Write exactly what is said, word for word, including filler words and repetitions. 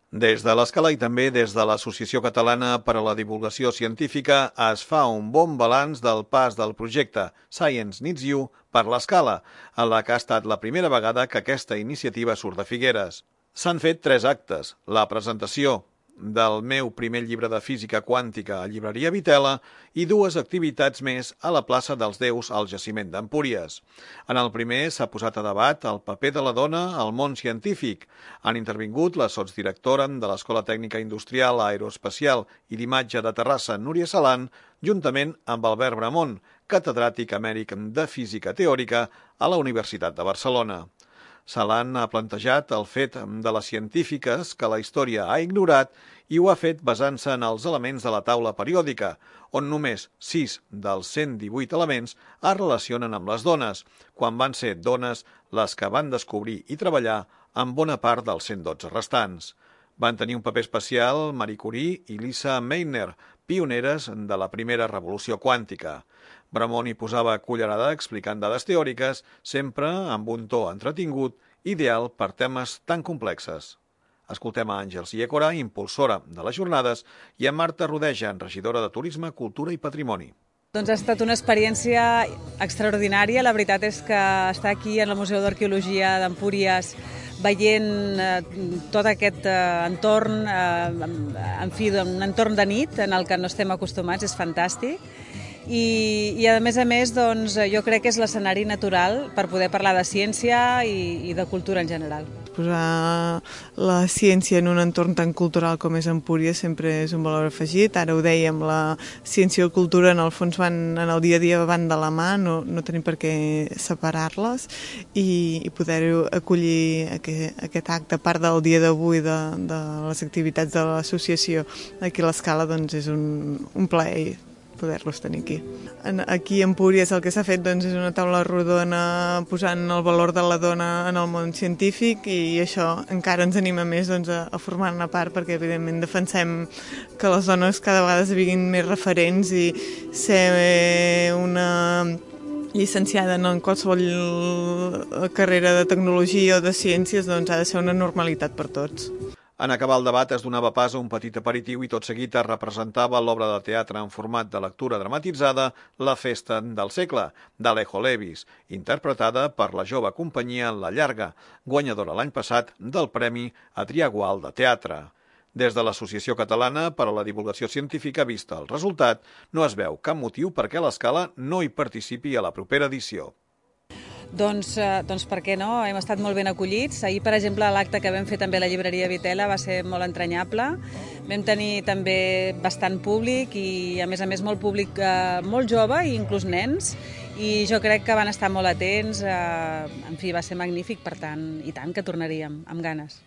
Des de l'Escala i també des de l'Associació Catalana per a la Divulgació Científica es fa un bon balanç del pas del projecte Science Needs You per l'Escala, en la que ha estat la primera vegada que aquesta iniciativa surt de Figueres. S'han fet tres actes: la presentació del meu primer llibre de física quàntica a Llibreria Vitela i dues activitats més a la plaça dels Déus al jaciment d'Empúries. En el primer s'ha posat a debat el paper de la dona al món científic. Han intervingut la sotsdirectora de l'Escola Tècnica Industrial Aeroespacial i d'Imatge de Terrassa, Núria Salan, juntament amb Albert Bramont, catedràtic emèrit de Física Teòrica a la Universitat de Barcelona. Salan ha plantejat el fet de les científiques que la història ha ignorat i ho ha fet basant-se en els elements de la taula periòdica, on només sis dels cent divuit elements es relacionen amb les dones, quan van ser dones les que van descobrir i treballar en bona part dels cent dotze restants. Van tenir un paper especial Marie Curie i Lisa Meitner, pioneres de la primera revolució quàntica. Bramont hi posava cullerada explicant dades teòriques, sempre amb un to entretingut, ideal per temes tan complexes. Escoltem a Àngels Iécora, impulsora de les jornades, i a Marta Rodeja, regidora de Turisme, Cultura i Patrimoni. Doncs ha estat una experiència extraordinària. La veritat és que estar aquí en el Museu d'Arqueologia d'Empúries veient eh, tot aquest eh, entorn, eh, en fi, un entorn de nit en el que no estem acostumats, és fantàstic. I, i a més a més, doncs, jo crec que és l'escenari natural per poder parlar de ciència i, i de cultura en general. Posar la ciència en un entorn tan cultural com és Empúries sempre és un valor afegit. Ara ho dèiem, la ciència i la cultura en el fons van, en el dia a dia van de la mà, no, no tenim per què separar-les, i, i poder acollir aquest, aquest acte, a part del dia d'avui de, de les activitats de l'associació aquí a l'Escala, doncs és un, un plaer poder-los tenir aquí. Aquí a Empúries el que s'ha fet doncs, és una taula rodona posant el valor de la dona en el món científic, i això encara ens anima més doncs, a, a formar-ne part, perquè evidentment defensem que les dones cada vegada esdevinguin més referents, i ser una llicenciada en qualsevol carrera de tecnologia o de ciències doncs, ha de ser una normalitat per tots. En acabar el debat es donava pas a un petit aperitiu i tot seguit es representava l'obra de teatre en format de lectura dramatitzada La festa del segle, d'Alejo Levis, interpretada per la jove companyia La Llarga, guanyadora l'any passat del Premi Adrià Gual de Teatre. Des de l'Associació Catalana per a la Divulgació Científica, vista el resultat, no es veu cap motiu perquè l'Escala no hi participi a la propera edició. Doncs, eh, doncs per què no? Hem estat molt ben acollits. Ahir, per exemple, l'acte que vam fer també a la llibreria Vitela va ser molt entranyable. Vam tenir també bastant públic i, a més a més, molt públic eh, molt jove i inclús nens. I jo crec que van estar molt atents. Eh, en fi, va ser magnífic, per tant, i tant que tornaríem, amb ganes.